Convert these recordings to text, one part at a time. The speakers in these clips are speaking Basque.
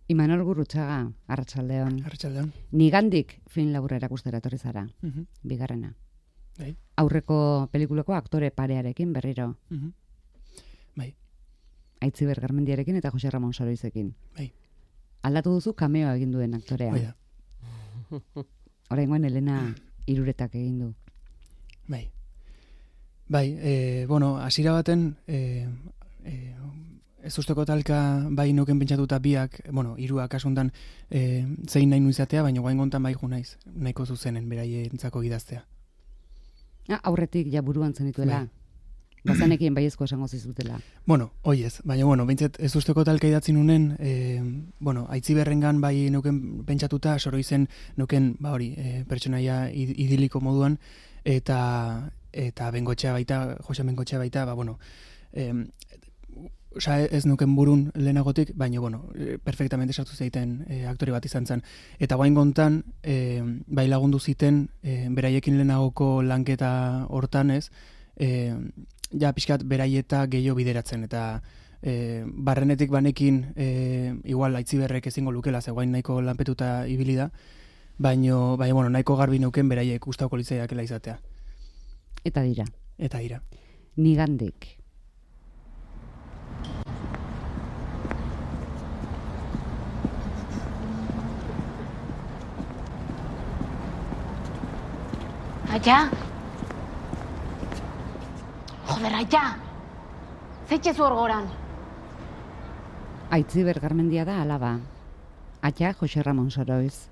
Imanol Gurrutxaga, arratsaldeon. Arratsaldeon. Nigandik film laburra erakustera etorri zara, bigarrena. Bai. Aurreko pelikulako aktore parearekin berriro. Bai. Aitziber Garmendiarekin eta Jose Ramon Soroizekin. Bai. Aldatu duzu kameoa egin duen aktorea. Bai da. Oraingoan Elena Iruretak egin du. Bai. Bai, hasiera baten ez usteko talka bai nuken pentsatuta biak, hiruak kasuntan zein nahi nuizatea, baina guain gontan bai ju naiz, nahiko zuzenen beraientzako idaztea. Aurretik ja buruan zenituela. Bai. Bazanekien baiezko esango zizutela. Hoiez, baina behintzat ez usteko talka idatzi nunen, Aitziberrengan bai nuken pentsatuta, Soroizen nuken, pertsonaia idiliko moduan, eta Bengotxea baita, Jose Bengotxea baita, ez nuken burun lehenagotik, baina, perfectamente sartu zeiten aktore bat izan zen. Eta guain gontan, bai lagundu ziten, beraiekin lehenagoko lanketa hortan ez, ja pixkat beraieta gehiago bideratzen, eta barrenetik banekin, igual Aitziberrek ezingo lukela, ze guain nahiko lanpetuta ibili da, baina, nahiko garbi nuken beraiek gustauko litzaiakela izatea. Eta dira. Nigandik. Aia! Joder, Aia! Zeitxezu hor goran? Aitziber Garmendia da alaba. Aia Jose Ramon Soroiz.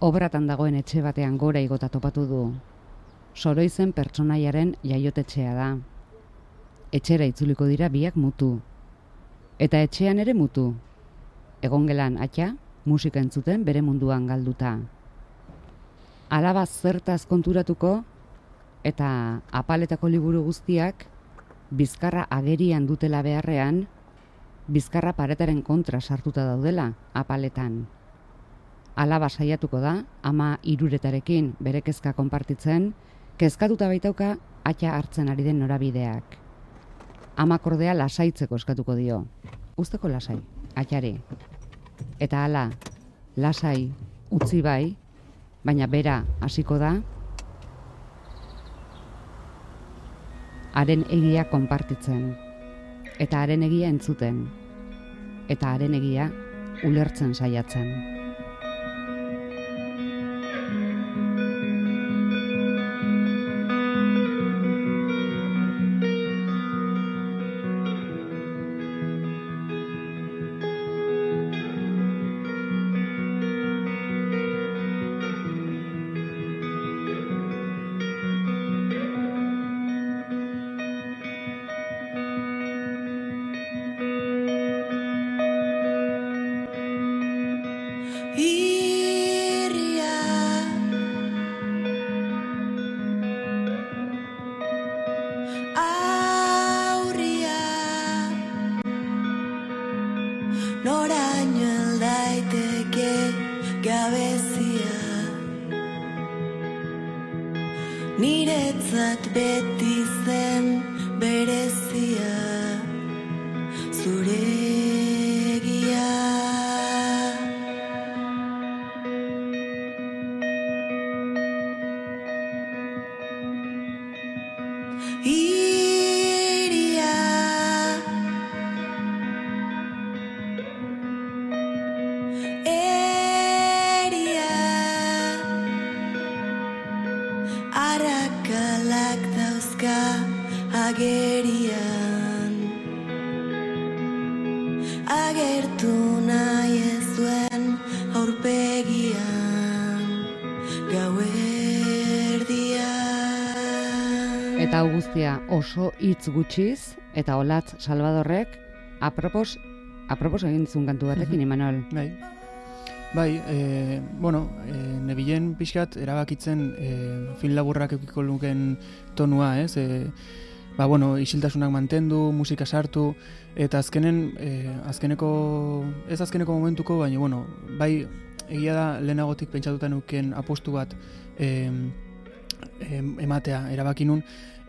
Obratan dagoen etxe batean gora igota topatu du. Soroizen pertsonaiaren jaiotetxea da. Etxera itzuliko dira biak mutu. Eta etxean ere mutu. Egongelan Aia musika entzuten bere munduan galduta. Alaba zertaz konturatuko eta apaletako liburu guztiak bizkarra agerian dutela beharrean, bizkarra paretaren kontra sartuta daudela apaletan. Alaba saiatuko da, ama Iruretarekin bere kezka konpartitzen, kezkatuta baitauka Aia hartzen ari den norabideak. Amak ordea lasaitzeko eskatuko dio. Uzteko lasai, Aiari. Eta hala, lasai, utzi bai, baina bera hasiko da, haren egia konpartitzen, eta haren egia entzuten, eta haren egia ulertzen saiatzen. Niretzat beti zen berezia zure egia. Iria eria arakalak dauzka agerian, agertu nahi ez duen aurpegian gauerdian. Eta hau guztia oso hitz gutxiz, eta Olatz Salvadorrek apropos egin zuen kantu batekin, Imanol. Bai, nebilen pixkat erabakitzen film laburrak eukiko luken tonua, ez? Isiltasunak mantendu, musika sartu, eta azkeneko momentuko, baina, bai, egia da lehenagotik pentsatuta nuken apostu bat ematea erabaki nun,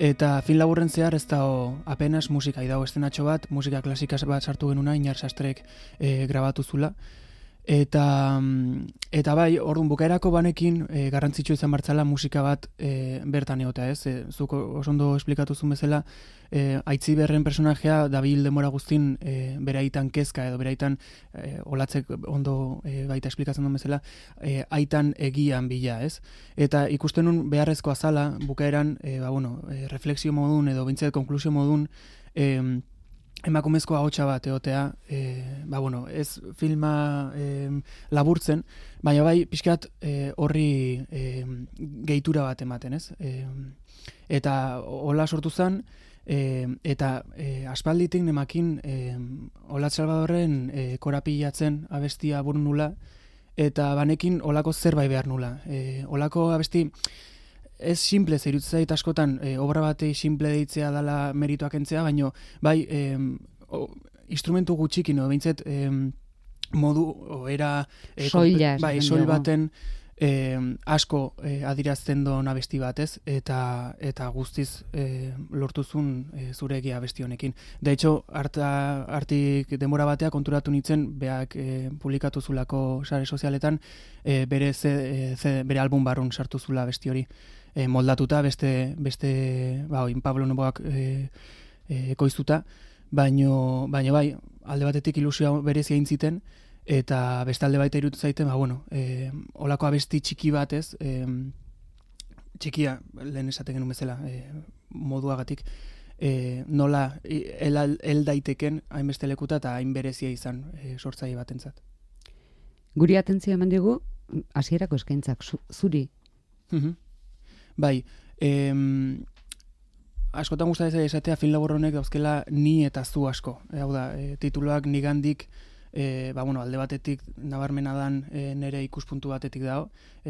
eta film laburren zehar ez dago apenas musika, dago estenatxo bat, musika klasika bat sartu genuna, Inar Sastrek grabatu zula, Eta bai, orduan bukaerako banekin garrantzitsua izan martzala musika bat bertan egotea, ez? Zuk oso ondo esplikatuzun bezala, Aitziberren personajea dabil demora guztin beraitan kezka edo beraitan olatzek ondo baita esplikatzen duen bezala, aitan egian bila, ez? Eta ikusten nun beharrezkoa zala bukaeran, refleksio modun edo bintzat konklusio modun, emakumezko ahotsa bat egotea, ez filma laburtzen, baina bai pixkat horri gehitura bat ematen, ez? Eta hola sortu zen, eta aspalditik nemakin Olatz Salvadorren korapilatzen abestia burun nula, eta banekin olako zerbait behar nula. Olako abesti ez simple zairutzen zait askotan, obra batei simple deitzea dela merituak entzea, baina bai instrumentu gutxikin, no? Behintzet modu era soil baten asko adirazten doan abesti batez, eta guztiz lortuzun zure egia abesti honekin. De hecho, hartik denbora batea konturatu nintzen, beak publikatu zulako sare sozialetan, bere album barrun sartu zula abesti hori. Moldatuta, beste Pablo Noboak ekoiztuta, baino bai, alde batetik ilusioa berezia intziten, eta beste alde baita irutu zaiten, olako abesti txiki batez, txikia, lehen esaten genuen bezala, moduagatik, nola el daiteken hainbeste lekuta eta hain berezia izan sortzaile batentzat. Guri atentzioa eman digu, hasierako eskaintzak, zuri. Bai, askotan gustatzen esatea film labur honek dauzkela ni eta zu asko. Hau da, tituloak nigandik, alde batetik nabarmena dan nere ikuspuntu batetik dago,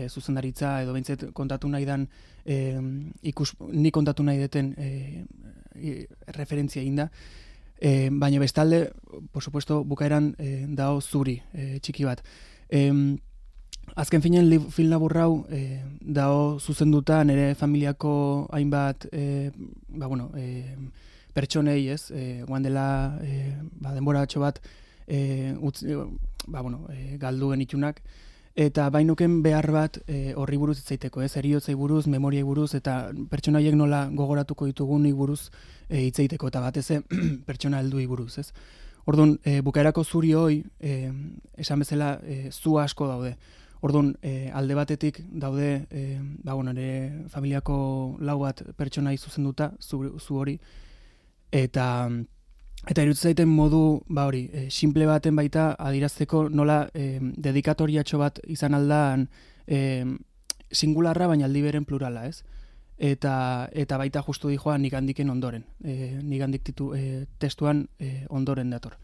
zuzendaritza edo behintzet kontatu nahi dan, ni kontatu nahi deten referentzia egin da, baina bestalde, por supuesto, bukaeran dago zuri, txiki bat. Azken finean film laburrau dago zuzenduta nire familiako hainbat pertsonei, ez, guan dela denbora batxo bat galdu genitunak, eta bainuken behar bat horri buruz itzaiteko, ez, heriotzei buruz, memoriai buruz, eta pertsona haiek nola gogoratuko ditugunik buruz itzaiteko, eta batez pertsona helduei buruz, ez. Orduan, bukaerako zuri hoi, esan bezala, zu asko daude. Orduan, alde batetik daude, nire familiako lau bat pertsonai zuzenduta, zu hori, eta irutzen zaiten modu, simple baten baita adirazteko nola dedikatoriatxo bat izan aldan singularra, baina aldi beren plurala, ez? Eta baita justu dijoa nigandiken ondoren, nigandik testuan ondoren dator.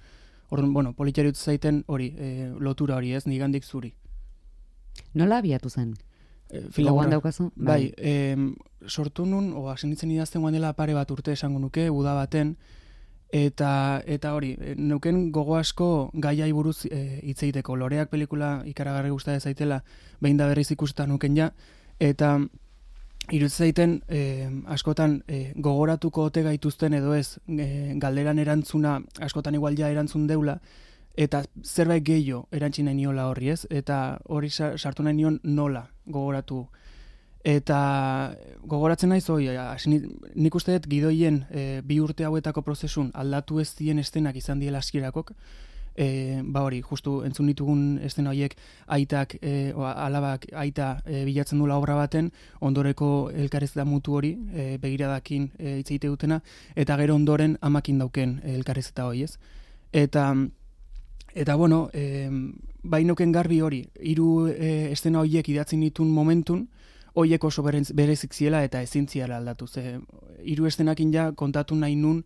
Orduan, politxera irutzen zaiten hori, lotura hori, ez, nigandik zuri. Nola abiatu zen? Gogoan daukazu? Bai, sortu nun, hasen ditzen idazten guan dela pare bat urte esango nuke, uda baten, eta hori, neuken gogo asko gaiai buruz hitz egiteko. Loreak pelikula ikaragarri gustatzen zaitela, behin da berriz ikusten nuken ja, eta irutzen zaiten askotan gogoratuko ote gaituzten edo ez, galderan erantzuna askotan igual ja erantzun deula, eta zerbait gehiago erantzin nahi niola horri, ez? Eta hori sartu nahi nion nola gogoratu. Eta gogoratzen naiz, nik uste dut gidoien 2 urte hauetako prozesun aldatu ez dien estenak izan diela askierakok, hori, justu entzun ditugun estena horiek aitak, alabak aita bilatzen dula obra baten, ondoreko elkarrez da mutu hori, begiradakin hitz egite dutena, eta gero ondoren amakin dauken elkarrez eta hori, ez? Eta bainoken garbi hori, 3 estena horiek idatzen ditun momentun, horiek oso berezik ziela eta ezin ziela aldatu. 3 estenakin ja kontatu nahi nun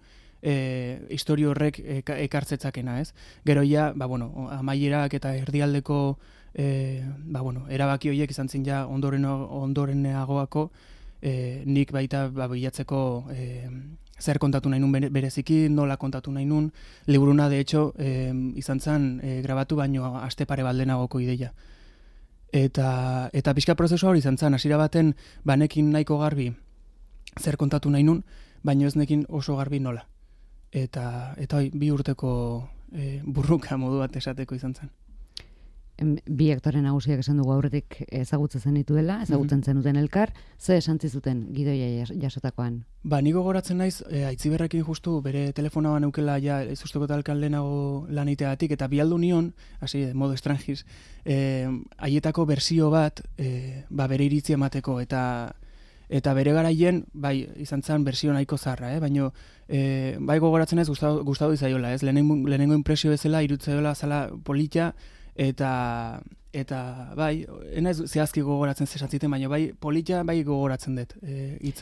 historio horrek ekartzetzakena, ez? Gero ja, amaierak eta erdialdeko erabaki horiek izan zen ja ondoreneagoako, nik baita bilatzeko zer kontatu nahi nun bereziki, nola kontatu nahi nun, liburuna de hecho izan zen grabatu baino aste pare baldenagoko ideia. Eta pixka prozesua hori izan zen, hasiera baten banekin nahiko garbi zer kontatu nahi nun, baino ez nekin oso garbi nola. Eta 2 urteko burruka modu bat esateko izan zen. bi aktore nagusiak esan dugu aurretik ezagutzen zenituela, ezagutzen zenuten elkar, ze esan zizuten gidoia jasotakoan? Ba, niko goratzen naiz, Aitziberrekin justu bere telefonoa neukela ja ezusteko talkan lehenago lan iteagatik, eta bialdu nion, hasi, modo estrangiz, haietako bersio bat, bere iritzia emateko, eta bere garaien, bai, izan zen bersio nahiko zarra, baina bai gogoratzen ez gustatu izaiola, ez? Lehenengo impresio bezala, irutzaiola zala polita, eta bai, enaiz zehazki gogoratzen zesantziten, baina bai polita bai gogoratzen dut.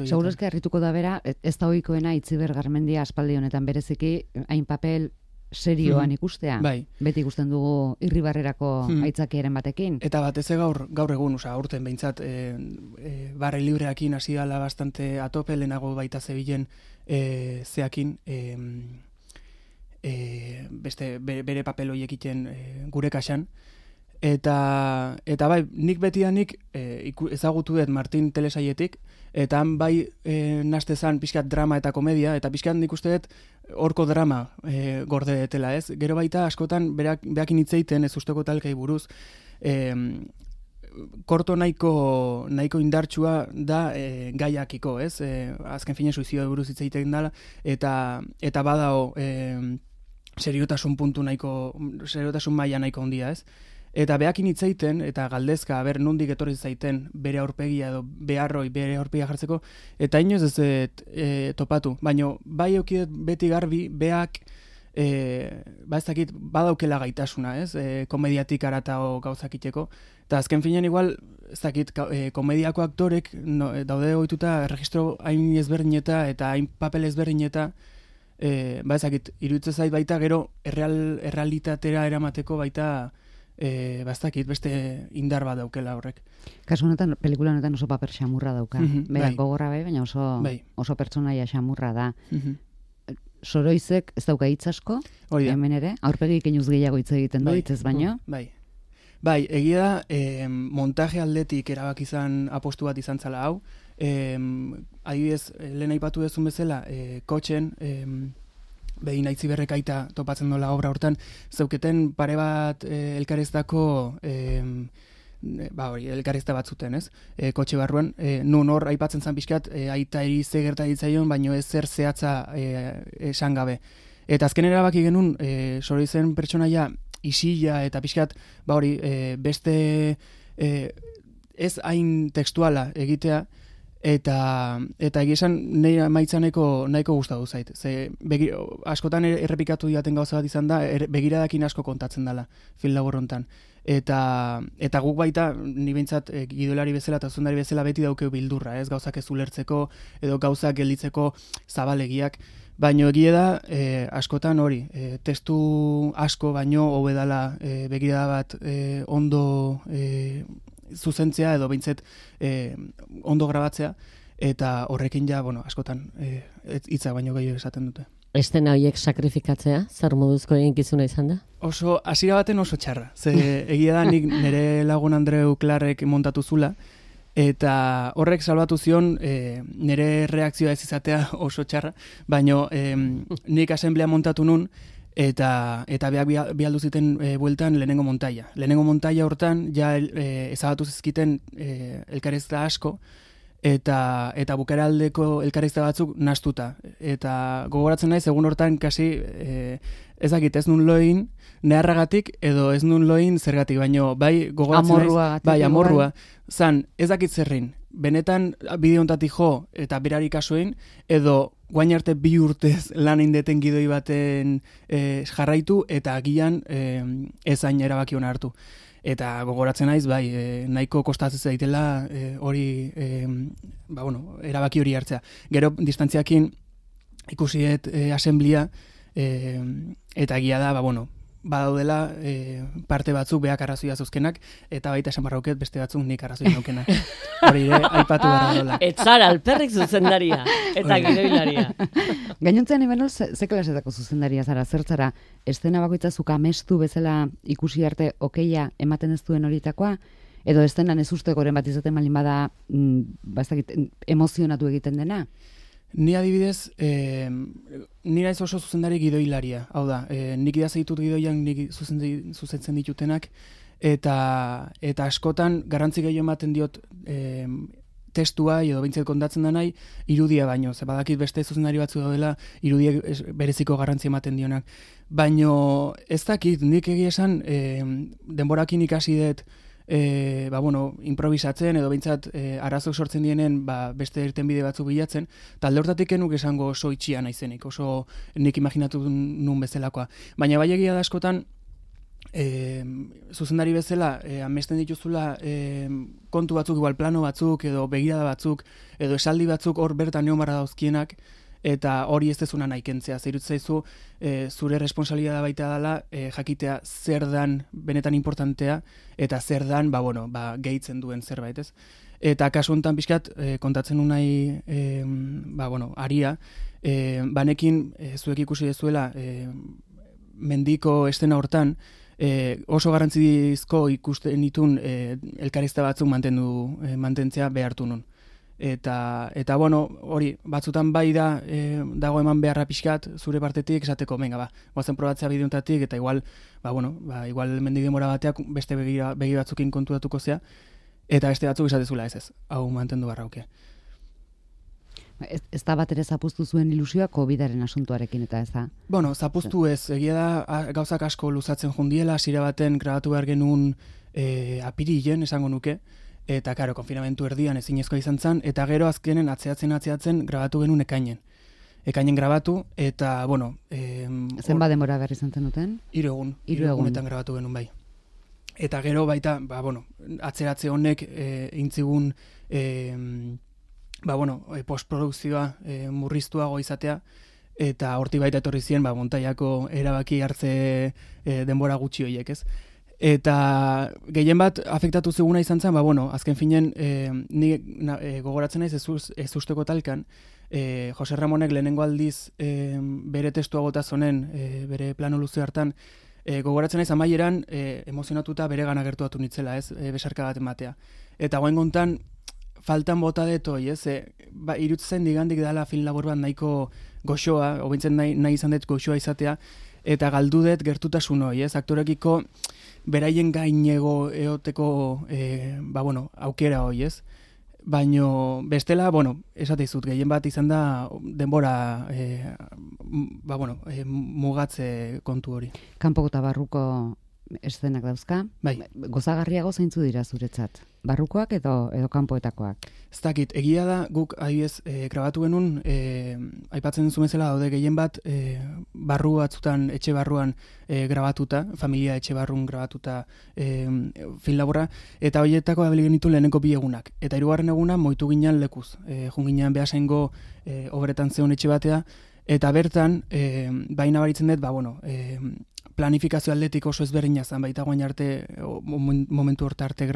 Segurazki harrituko da bera, ez da ohikoena Itziber Garmendia aspaldi honetan bereziki, hain papel serioan ikustea. Bai. Beti ikusten dugu Irribarrerako aitzakiaren batekin. Eta batez gaur egun, aurten behintzat, barre libreakin hasi dala bastante atope, lehenago baita zebilen zeakin, beste bere papel horiek egiten gure kaxan. Eta bai, nik betidanik ezagutu dut Martin Telesaietik, eta han bai nastezan pixkat drama eta komedia, eta pixkat nik uste dut horko drama gorde detela, ez? Gero baita askotan beakin hitzeiten ez usteko talkai buruz, korto nahiko indartsua da gaiakiko, ez? Azken fine suizioa buruz hitzeiten dela, eta badao seriotasun maila nahiko handia, ez? Eta beakin hitzeiten, eta galdezka, nondik etorri zaiten bere aurpegia edo bere aurpegia jartzeko, eta inoz ez topatu. Baina bai eukidet beti garbi, beak ez dakit badaukela gaitasuna, ez? Komediatik aratao gauzakiteko. Eta azken finean igual, ez dakit, komediako aktorek daude ohituta registro hain ezberdineta eta hain papel ezberdineta, ez dakit, iruditzen zait baita gero errealitatera eramateko baita bastakit, beste indar bat daukela horrek. Kasu honetan, pelikula honetan oso paper xamurra dauka. Berak gogorra baina oso pertsonaia xamurra da. Soroizek ez dauka hitz asko, hemen ere, aurpegi keinuz gehiago hitz egiten du, hitzez baino. Bai, egia da, montaje aldetik erabaki izan apostu bat izan zala hau. Adibidez, lehen aipatu dezun bezala, kotxen, behin Aitziberrek aita topatzen dola obra hortan, zeuketen pare bat elkarrezdako elkarrezta batzuten, ez? Kotxe barruan, nun hor aipatzen zan pixkat, aita eri ze gerta ditzaion, baino ez zer zehatza esan gabe. Eta azken erabaki genuen, Soroizen pertsonaia isila eta pixkat, beste ez hain tekstuala egitea, eta egia esan nire maitza nahiko gustatu zait. Ze askotan errepikatu diaten gauza bat izan da, begiradakin asko kontatzen dela film labur hontan. Eta guk baita, ni behintzat gidoilari bezala eta zuzendari bezala beti daukeu bildurra, ez? Gauzak ez ulertzeko edo gauzak gelditzeko zabalegiak. Baino egia da, askotan hori, testu asko baino hobedala begirada bat ondo zuzentzea edo behintzet ondo grabatzea, eta horrekin ja, askotan hitza baino gehiago esaten dute. Estena horiek sakrifikatzea, zer moduzko eginkizuna izan da? Hasiera baten oso txarra. Ze egia da nik nire lagun Andreu Clarrek montatu zula, eta horrek salbatu zion nire reakzioa ez izatea oso txarra, baino nik asemblea montatu nun, eta beak bialdu ziten bueltan lehenengo montaia. Lehenengo montaia hortan ja ezabatu zizkiten elkarrezta asko, eta bukeraldeko elkarrezta batzuk nastuta. Eta gogoratzen naiz, egun hortan kasi ezakit ez nun loin neharragatik edo ez nun loin zergatik, baino bai gogoratzen naiz, bai amorrua, zan ezakit zerrin, benetan bideo hontatik jo eta berari kasuein, edo guain arte 2 urtez lan indeten gidoi baten jarraitu eta agian ezain erabaki hona hartu. Eta gogoratzen naiz, bai, nahiko kostatzen zaitela hori, erabaki hori hartzea. Gero, distantziakin ikusiet asemblia, eta egia da, badaudela parte batzuk beak arrazoia zuzkenak, eta baita esan barrauket beste batzuk nik arrazoia naukena. Hori ere, aipatu behar dola. Etzara, alperrik zuzendaria, eta gidoilaria. Gainontzean, Imanol, ze klasetako zuzendaria zara, zertzara, estena bakoitza zuk amestu bezala ikusi arte okeia ematen ez duen horitakoa, edo estenan ez uste goren bat izaten malin bada, emozionatu egiten dena? Ni adibidez, ni naiz oso zuzendari gidoilaria, hau da, nik idazitut gidoiak nik zuzentzen ditutenak, eta askotan garrantzi gehiago ematen diot testua edo behintzat kontatzen da nahi irudia baino, ze badakit beste zuzendari batzu daudela irudiek bereziko garrantzi ematen dionak. Baino ez dakit, nik egia esan denborakin ikasi dut improvisatzen edo behintzat arazok sortzen dienen beste irtenbide batzuk bilatzen, talde hortatik enuk esango oso itxia naizenik, oso nik imaginatu nun bezalakoa. Baina bai egia da askotan, zuzendari bezala amesten dituzula kontu batzuk, igual plano batzuk edo begirada batzuk edo esaldi batzuk hor bertan egon barra dauzkienak, eta hori ez dezuna nahi kentzea. Zerut zaizu zure responsabilidad baita dela jakitea zer dan benetan importantea eta zer dan gehitzen duen zerbait, ez? Eta kasu honetan pixkat kontatzen du nahi aria, banekin zuek ikusi dezuela mendiko estena hortan oso garrantzizko ikusten ditun elkarrizta batzuk mantentzea behartu nun. Eta hori, batzutan bai dago eman beharra pixkat zure partetik esateko, goazen probatzea bideontatik, eta igual mendik denbora bateak beste begi batzukin konturatuko zea, eta beste batzuk esatezula ez, hau mantendu barrauke. Ez da bat ere zapuztu zuen ilusioa COVID-aren asuntuarekin eta ez da? Zapuztu ez, egia da gauzak asko luzatzen jundiela, hasiera baten grabatu behar genuen apirilen, esango nuke, eta karo, konfinamentu erdian ezinezkoa izan zen, eta gero azkenen atzeatzen grabatu genuen ekainen. Ekainen grabatu, eta, zenba denbora behar izan zenuten? 3 egun. 3 egunetan grabatu genuen bai. Eta gero baita, atzeratze honek intzigun postprodukzioa murriztuago izatea, eta horti baita etorri ziren montaiako erabaki hartze denbora gutxi horiek, ez? Eta gehien bat afektatu ziguna izan zen, azken finen ni gogoratzen naiz ez usteko talkan, Jose Ramonek lehenengo aldiz bere testua gota zonen, bere plano luze hartan, gogoratzen naiz amaieran emozionatuta bere gana gertuatu nitzela, ez, besarka bat ematea. Eta guain gontan, faltan bota detoi, ez, irutzen digandik dela film labor bat nahiko goxoa, obintzen nahi izan dut goxoa izatea, eta galdu dut gertutasun hoi, ez, aktorekiko beraien gainego eoteko aukera hoi, ez? Baino bestela, esate izut, gehien bat izan da denbora mugatze kontu hori. Kanpoko eta barruko eszenak dauzka? Bai. Gozagarriago zeintzu dira zuretzat? Barrukoak edo kanpoetakoak? Ez dakit, egia da guk adibidez grabatu genuen, aipatzen duzu bezala daude gehien bat barru batzutan, etxe barruan grabatuta, familia etxe barrun grabatuta film laburra, eta horietako abili genitu lehenengo 2 egunak. Eta 3. eguna moitu ginen lekuz, jun ginen Beasaingo obretan zeon etxe batea, eta bertan, baina baritzen dut, planifikazio aldetik oso ezberdina zen, baita guain arte, momentu horta arte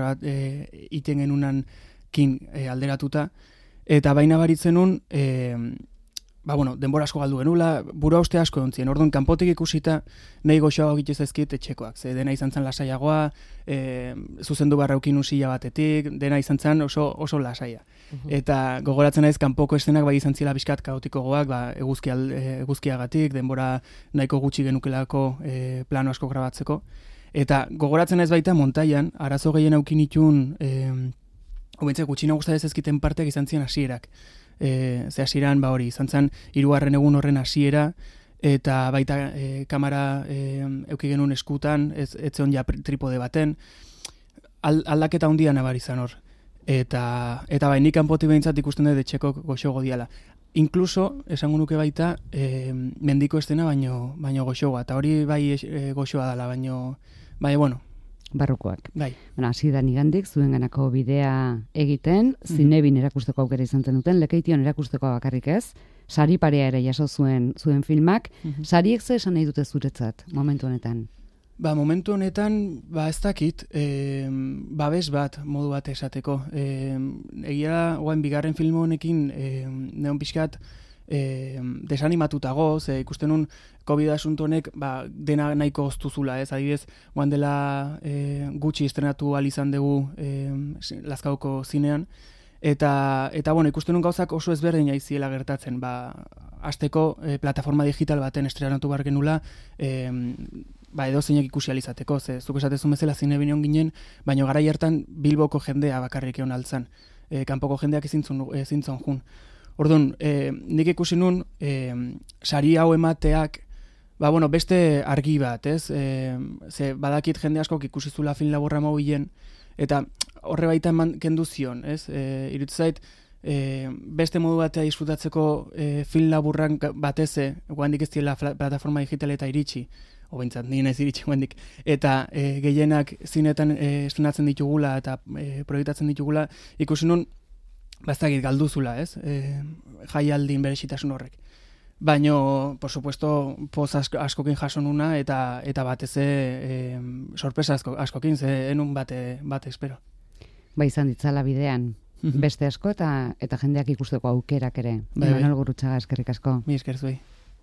iten genunan kin alderatuta, eta baina baritzen nun, denbora asko galdu genula, burua uste asko ontzien, orduan kanpotik ikusita nahi goxoago egitez ezkit etxekoak, ze dena izan zen lasaiagoa, zuzendu barraukin usila batetik, dena izan zen oso lasaia. Eta gogoratzen naiz kanpoko eszenak bai izan zila bizkat kaotikogoak, eguzkiagatik, denbora nahiko gutxi genukelako plano asko grabatzeko. Eta gogoratzen naiz baita montaian, arazo gehien aukin itun, gutxina guztatez ezkiten parteak izan ziren hasierak. Ze hasieran hori izan zen 3. egun horren hasiera, eta baita kamera euki genuen eskutan, ez zeon ja tripode baten, aldaketa handia nabar izan hor. Eta bai, nik kanpotik behintzat ikusten dut etxeko goxogo diala. Inkluso, esango nuke baita, mendiko estena baino goxogoa, eta hori bai goxoa dela, baina, barrukoak. Bai. Hasi da nigandik, zuenganako bidea egiten, Zinebin erakusteko aukera izan duten, Lekeition erakusteko bakarrik ez, sari parea ere jaso zuen filmak, sariek ze esan nahi dute zuretzat, momentu honetan? Momentu honetan, ez dakit, babes bat, modu bat esateko. Egia, guain, bigarren film honekin, neon pixkat, desanimatuta ze ikusten nun COVID asunto honek dena nahiko oztuzula, ez? Adibidez, guan dela gutxi estrenatu izan dugu Lazkaoko zinean, eta ikusten nun gauzak oso ezberdin aiziela gertatzen, hasteko plataforma digital baten estrenatu behar genula, edo zeinek ikusi alizateko, ze zuk esatezun bezala zine bineon ginen, baina garai hartan Bilboko jendea bakarrik egon altzan, kanpoko jendeak ezintzon jun. Orduan, nik ikusi nun, sari hau emateak, beste argi bat, ez? Ze badakit jende askok ikusi zula film laburra mobilen, eta horre baita eman kendu zion, ez? Iruditzen zait, beste modu batea disfrutatzeko film laburran bateze, guandik ez diela plataforma digitaleta iritsi, obentzat, nien ez iritsi guandik, eta gehienak zinetan estrenatzen ditugula eta proiektatzen ditugula, ikusi nun, bazakit galduzula, ez? Jaialdin berezitasun horrek. Baino, por supuesto, poz askokin jaso nuna eta batez sorpresa askokin, ze enun bate espero. Izan ditzala bidean, beste asko eta jendeak ikusteko aukerak ere. Bai. Imanol Gurrutxaga, eskerrik asko. Mi esker zuei.